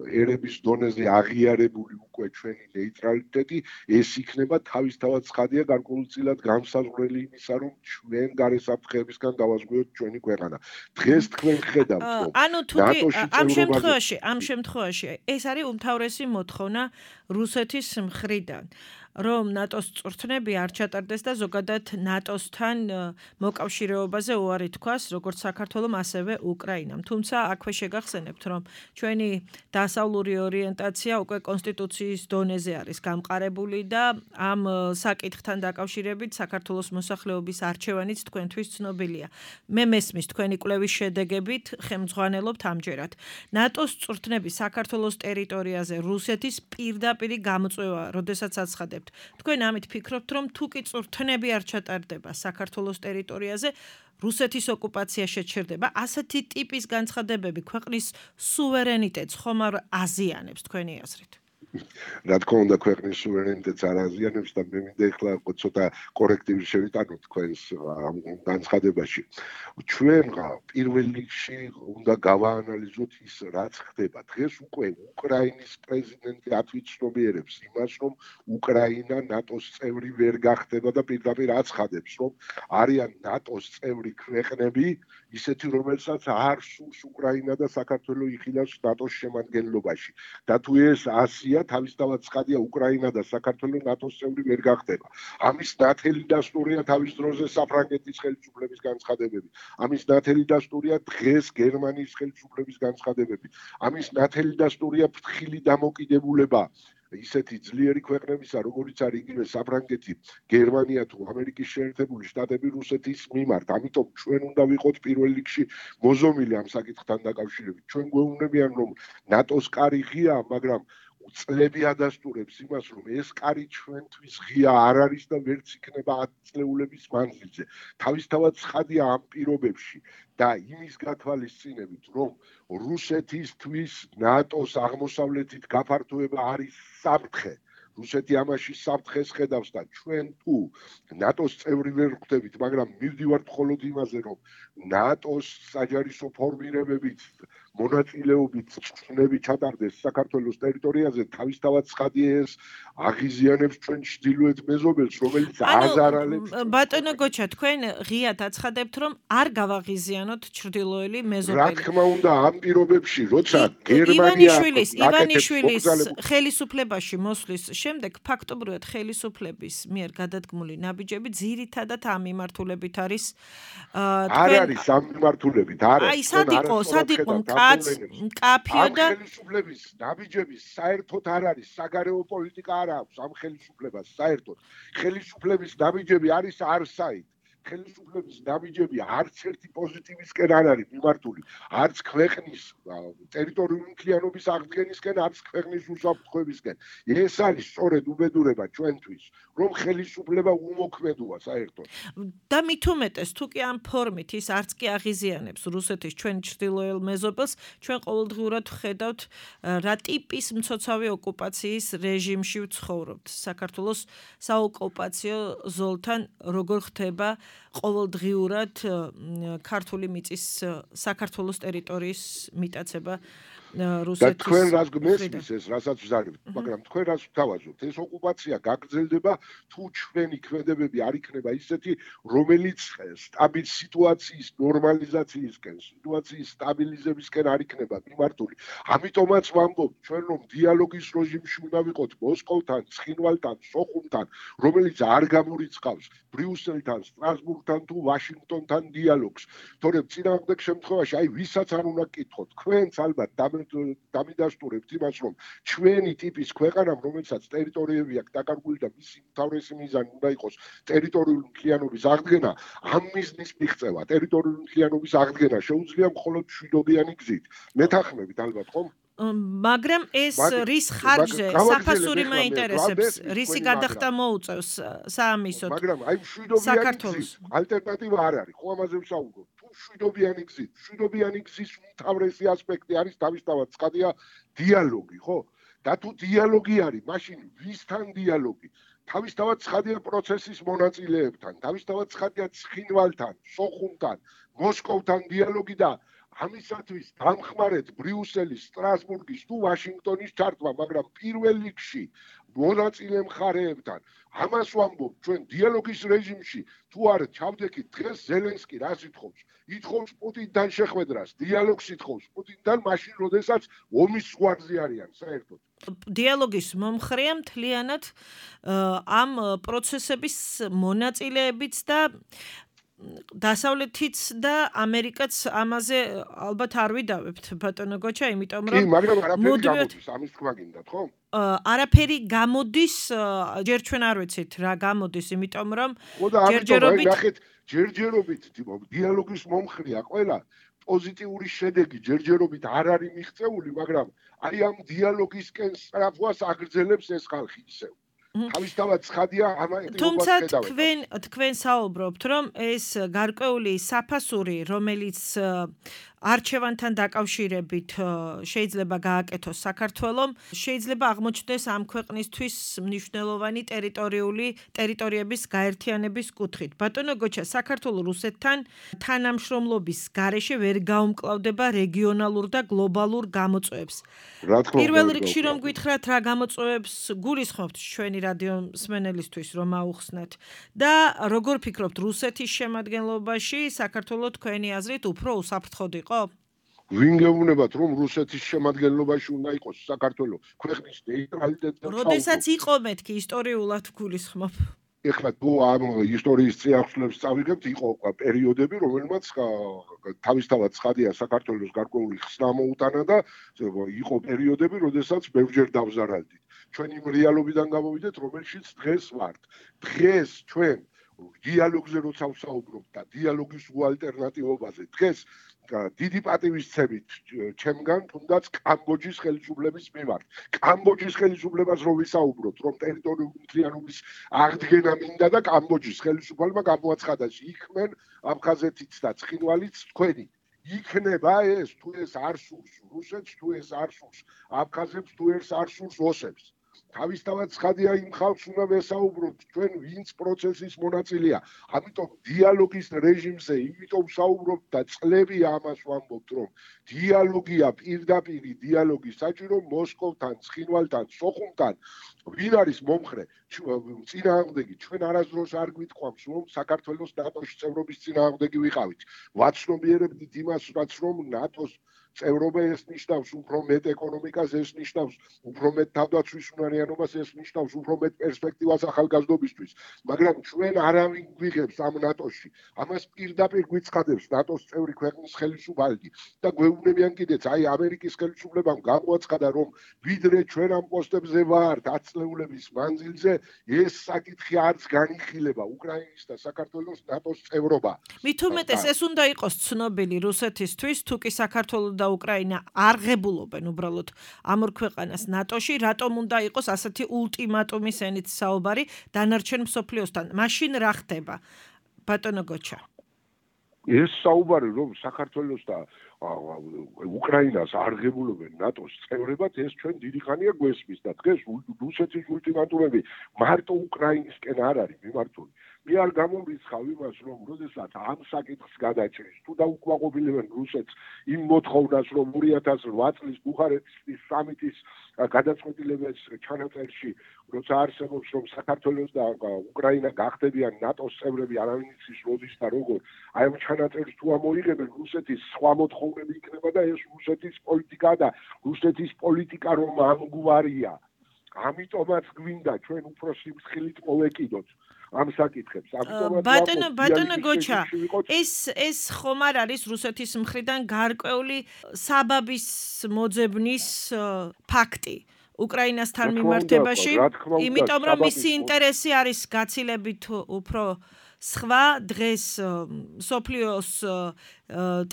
ერების დონეზე აღიარებული უკვე ჩვენი ნეიტრალიტეტი, ეს იქნება თავისთავად ცხადია გარკვეულწილად განსაზღვრელი იმისა, რომ ჩვენ გარე საფრთხეებისგან დავაზღვიოთ ჩვენი ქვეყანა. დღეს თქვენ ხედავთ, რომ ანუ თუ ამ შემთხვევაში, ამ შემთხვევაში ეს არის უმთავრესი მოთხოვნა რუსეთის მხრიდან, რომ ნატოს წვრთნები არ ჩატარდეს და ზოგადად ნატოსთან მოკავშირეობაზე უარი თქვას, როგორც საქართველომ, ასევე უკრაინამ. თუმცა აქვე შეგახსენებთ, რომ ჩვენი დასავლური ორიენტაცია უკვე კონსტიტუციის დონეზე არის გამყარებული და ამ საკითხთან დაკავშირებით საქართველოს მოსახლეობის არჩევანიც თქვენთვის ცნობილია. მე მესმის თქვენი კვლევის შედეგებით ხელმძღვანელობთ ამჯერად. ნატოს წვრთნები საქართველოს ტერიტორიაზე რუსეთის პირდაპირი გამოწვევა, როდესაც აცხადებთ. თქვენ ამით ფიქრობთ, რომ თუ კი წვრთნები არ ჩატარდება საქართველოს ტერიტორიაზე, რუსეთის ოკუპაცია შეჩერდება, ასეთი ტიპის განცხადებები ქვეყნის სუვერენიტეტს ხომ არ აზიანებს თქვენი აზრით? რა თქმა უნდა ქვეყნის სუვერენიტეტს არ აზიანებს და მე მინდა ახლა ცოტა კორექტივი შევიტანოთ თქვენს ამ განცხადებაში. ჩვენ პირველ რიგში უნდა გავაანალიზოთ ის რაც ხდება. დღეს უკვე უკრაინის პრეზიდენტი ათვისნობიერებს იმას, რომ უკრაინა ნატოს წევრი ვერ გახდება და პირდაპირ აცხადებს, რომ არიან ნატოს წევრი ქვეყნები, ისეთი რომელსაც არ სურს უკრაინა და საქართველო იხილავს ნატოს შემადგენლობაში. და თუ ეს ასია თავისთავად ცხადია უკრაინა და საქართველო ნატოს წევრი ვერ გახდება. ამის ნათელი დასტურია თავის დროზე საფრანგეთის ხელისუფლების განცხადებები. ამის ნათელი დასტურია დღეს გერმანიის ხელისუფლების განცხადებები. ამის ნათელი დასტურია ფრთხილი დამოკიდებულება ისეთი ძლიერი ქვეყნებისა, როგორიც არის იგივე საფრანგეთი, გერმანია თუ ამერიკის შეერთებული შტატები რუსეთის მიმართ. ამიტომ ჩვენ უნდა ვიყოთ პირველ რიგში მოზომილი ამ საკითხთან დაკავშირებით. ჩვენ გვეუბნებიან, რომ ნატოს კარი ღიაა, მაგრამ წლები ადასტურებს იმას, რომ ეს კარი ჩვენთვის ღია არ არის და ვერც იქნება ათ წლეულების მანძილზე. თავისთავად ცხადია ამ პირობებში და იმის გათვალისწინებით, რომ რუსეთისთვის ნატოს აღმოსავლეთით გაფართოება არის საფრთხე. რუსეთი ამაში საფრთხეს ხედავს და ჩვენ თუ ნატოს წევრი ვერ ვხდებით, მაგრამ მივდივართ მხოლოდ იმაზე, რომ ნატოს საჯარისო ფორმირებებით მონაწილეობით ჩნები ჩატარდეს საქართველოს ტერიტორიაზე, თავისთავად ცხადია ეს აღიზიანებს ჩვენ ჩრდილოეთ მეზობელს, რომელიც აზარალებს. ბატონო გოჩა, თქვენ ღიად აცხადებთ, რომ არ გავაღიზიანოთ ჩრდილოელი მეზობელი. რა თქმა უნდა, ამ პირობებში, როცა გერმანია ივანიშვილის ივანიშვილის ხელისუფლებაში მოსვლის შემდეგ ფაქტობრივად ხელისუფლების მიერ გადადგმული ნაბიჯები ძირითადად ამ მიმართულებით არის არ არის ამ მიმართულებით, არა. აი, სად იყო, სად იყო კაფიო და ხელისუფლების ნაბიჯების საერთოდ არ არის, საგარეო პოლიტიკა არ აქვს ამ ხელისუფლებას საერთოდ. ხელისუფლების ნაბიჯები არის არსაით. ხელისუფლების ნაბიჯები არც ერთი პოზიტივისკენ არ არის მიმართული, არც ქვეყნის ტერიტორიული მთლიანობის აღდგენისკენ, არც ქვეყნის უსაფრთხოებისკენ. ეს არის სწორედ უბედურება ჩვენთვის, რომ ხელისუფლება უმოქმედოა საერთოდ. და მით უმეტეს, თუ კი ამ ფორმით ის არც კი აღიზიანებს რუსეთის ჩვენ ჩრდილოელ მეზობელს, ჩვენ ყოველდღიურად ვხედავთ რა ტიპის მცოცავი ოკუპაციის რეჟიმში ვცხოვრობთ. საქართველოს საოკუპაციო ზოლთან როგორ ხდება ყოველდღიურად ქართული მიწის საქართველოს ტერიტორიის მიტაცება რუსეთის. და თქვენ რას გმესმის ეს, რასაც ვზარდით, მაგრამ თქვენ რას ვთავაზობთ? ეს ოკუპაცია გაგრძელდება, თუ ჩვენი ქმედებები არ იქნება ისეთი, რომელიც სტაბილ სიტუაციის ნორმალიზაციისკენ, სიტუაციის სტაბილიზებისკენ არ იქნება მიმართული. ამიტომაც ვამბობ, ჩვენ რომ დიალოგის რეჟიმში უნდა ვიყოთ მოსკოვთან, ცხინვალთან, სოხუმთან, რომელიც არ გამორიცხავს ბრიუსელთან, სტრასბურგთან თუ ვაშინგტონთან დიალოგს. თორემ წინააღმდეგ შემთხვევაში, აი ვისაც არ უნდა გკითხოთ, თქვენც ალბათ დამიდასტურებთ იმას, რომ ჩვენი ტიპის ქვეყანამ, რომელსაც ტერიტორიები აქვს დაკარგული და მისი მთავრესი მიზანი უნდა იყოს ტერიტორიული მთლიანობის აღდგენა, ამ მიზნის მიღწევა, ტერიტორიული მთლიანობის აღდგენა შეუძლია მხოლოდ მშვიდობიანი გზით. მეთანხმებით ალბათ ხომ? მაგრამ ეს რის ხარჯზე საფასური მაინტერესებს, რისი გადახდა მოუწევს საამისოდ. მაგრამ აი მშვიდობიანი გზით ალტერნატივა არ არის, ხო ამაზე ვსაუბრობ. მშვიდობიანი გზით, მშვიდობიანი გზის უმთავრესი ასპექტი არის თავისთავად ცხადია დიალოგი, ხო? და თუ დიალოგი არის, მაშინ ვისთან დიალოგი? თავისთავად ცხადია პროცესის მონაწილეებთან, თავისთავად ცხადია ცხინვალთან, სოხუმთან, მოსკოვთან დიალოგი და ამისათვის დამხმარეთ ბრიუსელის, სტრასბურგის თუ ვაშინგტონის ჩართვა, მაგრამ პირველ რიგში მონაწილე მხარეებთან. ამას ვამბობ, ჩვენ დიალოგის რეჟიმში თუ არ ჩავდექით, დღეს ზელენსკი რას ითხოვს? ითხოვს პუტინთან შეხვედრას, დიალოგს ითხოვს პუტინთან, მაშინ როდესაც ომის ზღვარზე არიან საერთოდ. დიალოგის მომხრეა მთლიანად ამ პროცესების მონაწილეებიც და დასავლეთიც და ამერიკაც ამაზე ალბათ არ ვიდავებთ ბატონო გოჩა, იმიტომ რომ კი, მაგრამ არაფერი გამოდის, ამის თქვა გინდათ, ხო? არაფერი გამოდის, ჯერ ჩვენ არ ვიცით რა გამოდის, იმიტომ რომ ჯერჯერობით ჯერჯერობით დიალოგის მომხრეა ყველა პოზიტიური შედეგი ჯერჯერობით არ არის მიღწეული, მაგრამ აი ამ დიალოგისკენ სწრაფვას აგრძელებს ეს ხალხი ისევ. თავისთავად ცხადია ამ ეტიოპიას თუმცა თქვენ თქვენ საუბრობთ, რომ ეს გარკვეული საფასური, რომელიც არჩევანთან დაკავშირებით შეიძლება გააკეთოს საქართველომ, შეიძლება აღმოჩნდეს ამ ქვეყნისთვის მნიშვნელოვანი ტერიტორიული ტერიტორიების გაერთიანების კუთხით. ბატონო გოჩა, საქართველო რუსეთთან თანამშრომლობის გარეშე ვერ გაუმკლავდება რეგიონალურ და გლობალურ გამოწვევებს. პირველ რიგში რომ გითხრათ რა გამოწვევებს გულისხმობთ ჩვენი რადიო მსმენელისთვის რომ აუხსნათ და როგორ ფიქრობთ რუსეთის შემადგენლობაში საქართველო თქვენი აზრით უფრო უსაფრთხოდ იყო? ვინ გეუბნებათ რომ რუსეთის შემადგენლობაში უნდა იყოს საქართველო ქვეყნის ნეიტრალიტეტზე? როდესაც იყო მეთქი ისტორიულად გულისხმობ. ეხლა თუ ამ ისტორიის წიაღწევებს წავიგებთ, იყო პერიოდები, რომელმაც თავისთავად ცხადია საქართველოს გარკვეული ხსნა მოუტანა და იყო პერიოდები, როდესაც ბევრჯერ დავზარალდით. ჩვენ იმ რეალობიდან გამოვიდეთ, რომელშიც დღეს ვართ. დღეს ჩვენ დიალოგზე როცა ვსაუბრობთ და დიალოგის უალტერნატივობაზე, დღეს დიდი პატივისცემით ჩემგან თუნდაც კამბოჯის ხელისუფლების მიმართ. კამბოჯის ხელისუფლებას რო ვისაუბროთ, რომ ტერიტორიული მთლიანობის აღდგენა მინდა და კამბოჯის ხელისუფალმა გამოაცხადა, იქმენ აფხაზეთიც და ცხინვალიც თქვენი. იქნება ეს, თუ ეს არ სურს რუსეთს, თუ ეს არ სურს აფხაზებს, თუ ეს არ სურს ოსებს. თავისთავად ცხადია იმ ხალხს უნდა ვესაუბროთ, ჩვენ ვინც პროცესის მონაწილეა. ამიტომ დიალოგის რეჟიმზე იმიტომ ვსაუბრობთ და წლები ამას ვამბობთ, რომ დიალოგია პირდაპირი დიალოგი საჭირო მოსკოვთან, ცხინვალთან, სოხუმთან. ვინ არის მომხრე? წინააღმდეგი. ჩვენ არასდროს არ გვიტყვამს, რომ საქართველოს ნატოში წევრობის წინააღმდეგი ვიყავით. ვაცნობიერებდით იმას, რაც რომ ნატოს წევრობა ეს ნიშნავს უფრო მეტ ეკონომიკას, ეს ნიშნავს უფრო მეტ თავდაცვის უნარიანობას, ეს ნიშნავს უფრო მეტ პერსპექტივას ახალგაზრდობისთვის. მაგრამ ჩვენ არავინ გვიღებს ამ ნატოში. ამას პირდაპირ გვიცხადებს ნატოს წევრი ქვეყნის ხელისუფალები და გვეუბნებიან კიდეც, აი ამერიკის ხელისუფლებამ გამოაცხადა, რომ ვიდრე ჩვენ ამ პოსტებზე ვართ ათწლეულების მანძილზე, ეს საკითხი არც განიხილება უკრაინის და საქართველოს ნატოს წევრობა. მით უმეტეს ეს უნდა იყოს ცნობილი რუსეთისთვის, თუ კი საქართველო და უკრაინა არ ღებულობენ უბრალოდ ამ ორ ქვეყანას ნატოში, რატომ უნდა იყოს ასეთი ულტიმატუმის ენით საუბარი დანარჩენ მსოფლიოსთან? მაშინ რა ხდება? ბატონო გოჩა. ეს საუბარი რომ საქართველოს და უკრაინას არ ღებულობენ ნატოს წევრებად, ეს ჩვენ დიდი ხანია გვესმის და დღეს რუსეთის ულტიმატუმები მარტო უკრაინისკენ არ არის მიმართული. მე არ გამომრიცხავ იმას, რომ როდესაც ამ საკითხს გადაჭრის, თუ დაუკმაყოფილებენ რუსეთს იმ მოთხოვნას, რომ ორი ათას ოთხ წლის ბუხარესტის სამიტის გადაწყვეტილებას ჩანაწერში, როცა არსებობს, რომ საქართველოს და უკრაინა გახდებიან ნატოს წევრები, არავინ იცის როდის და როგორ, აი ამ ჩანაწერს თუ ამოიღებენ, რუსეთის სხვა მოთხოვნები იქნება და ეს რუსეთის პოლიტიკა და რუსეთის პოლიტიკა რომ ამგვარია. ამიტომაც გვინდა ჩვენ უფრო სიმცხილით მოვეკიდოთ ამ საკითხებს. ამიტომაც ბატონო ბატონო გოჩა, ეს ეს ხომ არ არის რუსეთის მხრიდან გარკვეული საბაბის მოძებნის ფაქტი უკრაინასთან მიმართებაში, იმიტომ რომ მისი ინტერესი არის გაცილებით უფრო სხვა დღეს სოფლიოს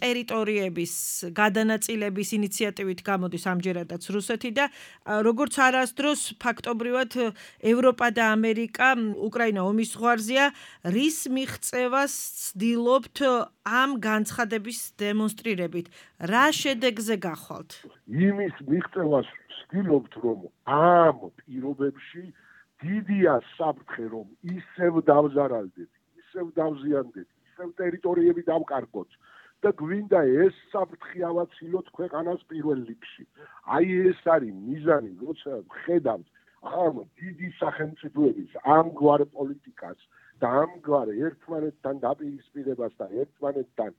ტერიტორიების გადანაწილების ინიციატივით გამოდის ამჯერადაც რუსეთი და როგორც არასდროს ფაქტობრივად ევროპა და ამერიკა უკრაინა ომის ზღვარზეა, რის მიღწევას ცდილობთ ამ განცხადების დემონსტრირებით? რა შედეგზე გახვალთ? იმის მიღწევას ვცდილობთ, რომ ამ პირობებში დიდია საფრთხე, რომ ისევ დავზარალდეთ, ისევ დავზიანდეთ, ისევ ტერიტორიები დავკარგოთ და გვინდა ეს საფრთხე ავაცილოთ ქვეყანას პირველ რიგში. აი ეს არის მიზანი, როცა ვხედავთ ამ დიდი სახელმწიფოების ამგვარ პოლიტიკას და ამგვარ ერთმანეთთან დაპირისპირებას და ერთმანეთთან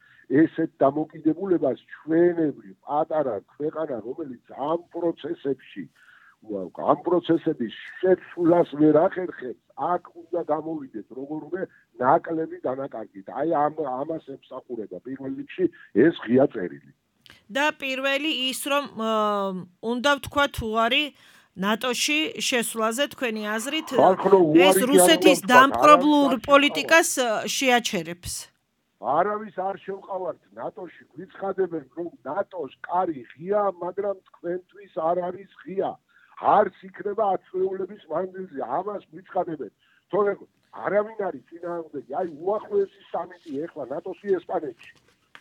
ესეთ დამოკიდებულებას ჩვენებრივ პატარა ქვეყანა, რომელიც ამ პროცესებში ამ პროცესების შეცვლას ვერ ახერხებს, აქ უნდა გამოვიდეთ როგორმე ნაკლები დანაკარგით. აი ამ ამას ემსახურება პირველ რიგში ეს ღია წერილი. და პირველი ის რომ უნდა ვთქვა თუ არის ნატოში შესვლაზე თქვენი აზრით ეს რუსეთის დამპყრობლურ პოლიტიკას შეაჩერებს. არავის არ შევყავართ ნატოში, გვიცხადებენ რომ ნატოს კარი ღია, მაგრამ თქვენთვის არ არის ღია. არც იქნება ათწლეულების მანძილზე, ამას გვიცხადებენ. თორემ არავინ არის წინააღმდეგი. აი უახლოესი სამიტი ეხლა ნატოსი ესპანეთში.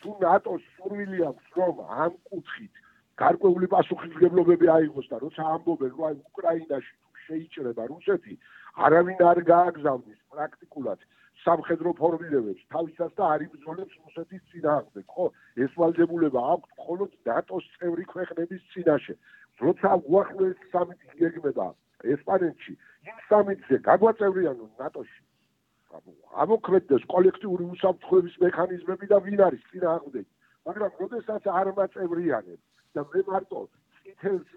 თუ ნატოს სურვილი აქვს რომ ამ კუთხით გარკვეული პასუხისმგებლობები აიღოს და როცა ამბობენ რომ აი უკრაინაში თუ შეიჭრება რუსეთი არავინ არ გააგზავნის პრაქტიკულად სამხედრო ფორმირებებს თავისას და არ იბრძოლებს რუსეთის წინააღმდეგ, ხო? ეს ვალდებულება აქვს მხოლოდ ნატოს წევრი ქვეყნების წინაშე. როცა უახლოეს სამიტი გეგმება ესპანეთში, იმ სამიტზე გაგვაწევრიანონ ნატოში. ამოქმედდეს კოლექტიური უსაფრთხოების მექანიზმები და ვინ არის წინააღმდეგი. მაგრამ როდესაც არ მაწევრიანებს და მე მარტო წითელს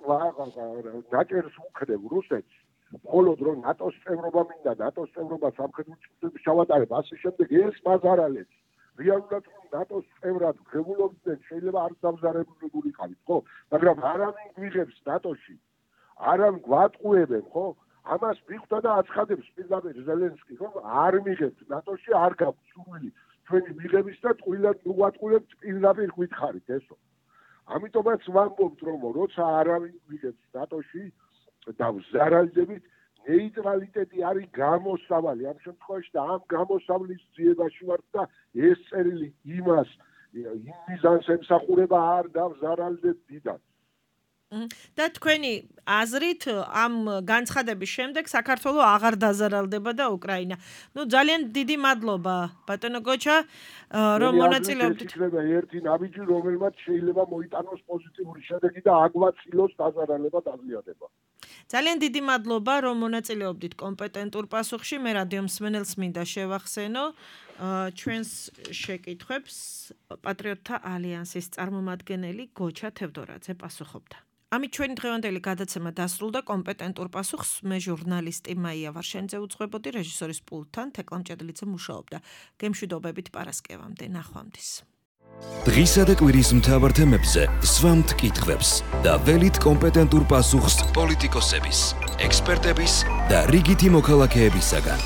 ნაჭერს ვუხდებ რუსეთს, მხოლოდ რომ ნატოს წევრობა მინდა, ნატოს წევრობა სამხედრო ჭრილებს ჩავატარებ, ასე შემდეგ ეს მაზარალებს. რეალურად რომ ნატოს წევრად ღებულობდნენ, შეიძლება არ დამზარებული იყავით, ხო? მაგრამ არავინ გვიღებს ნატოში, არავინ გვატყუებენ, ხო? ამას მიხვდა და აცხადებს პირდაპირ ზელენსკი, რომ არ მიღებთ ნატოში, არ გაქვთ სურვილი ჩვენი მიღების და ტყუილად მოვატყუებთ პირდაპირ გითხარით ესო. ამიტომაც ვამბობთ, რომ როცა არავინ გვიღებს ნატოში და ვზარალდებით, ნეიტრალიტეტი არის გამოსავალი ამ შემთხვევაში და ამ გამოსავლის ძიებაში ვართ და ეს წერილი იმას იმ მიზანს ემსახურება არ დავზარალდეთ დიდად. და თქვენი აზრით ამ განცხადების შემდეგ საქართველო აღარ დაზარალდება და უკრაინა. ნუ ძალიან დიდი მადლობა ბატონო გოჩა რომ მონაწილეობდით. იქნება ერთი ნაბიჯი რომელმაც შეიძლება მოიტანოს პოზიტიური შედეგი და აგვაწილოს დაზარალება დაზიანება. ძალიან დიდი მადლობა რომ მონაწილეობდით კომპეტენტურ პასუხში. მე რადიო მსმენელს მინდა შევახსენო ჩვენს შეკითხვებს პატრიოტთა ალიანსის წარმომადგენელი გოჩა თევდორაძე პასუხობდა. ამით ჩვენი დღევანდელი გადაცემა დასრულდა. კომპეტენტურ პასუხს მე ჟურნალისტი მაია ვარშენიძე უძღვებოდი, რეჟისორის პულტთან თეკლამ ჭედლიძე მუშაობდა. გემშვიდობებით პარასკევამდე, ნახვამდის. დღისა და კვირის მთავარ თემებზე სვამთ კითხვებს და ველით კომპეტენტურ პასუხს პოლიტიკოსების, ექსპერტების და რიგითი მოქალაქეებისაგან.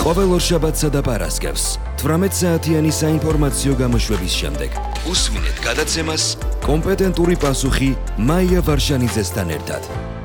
ყოველ ორშაბათსა და პარასკევს თვრამეტ საათიანი საინფორმაციო გამოშვების შემდეგ უსმინეთ გადაცემას კომპეტენტური პასუხი მაია ვარშანიძესთან ერთად.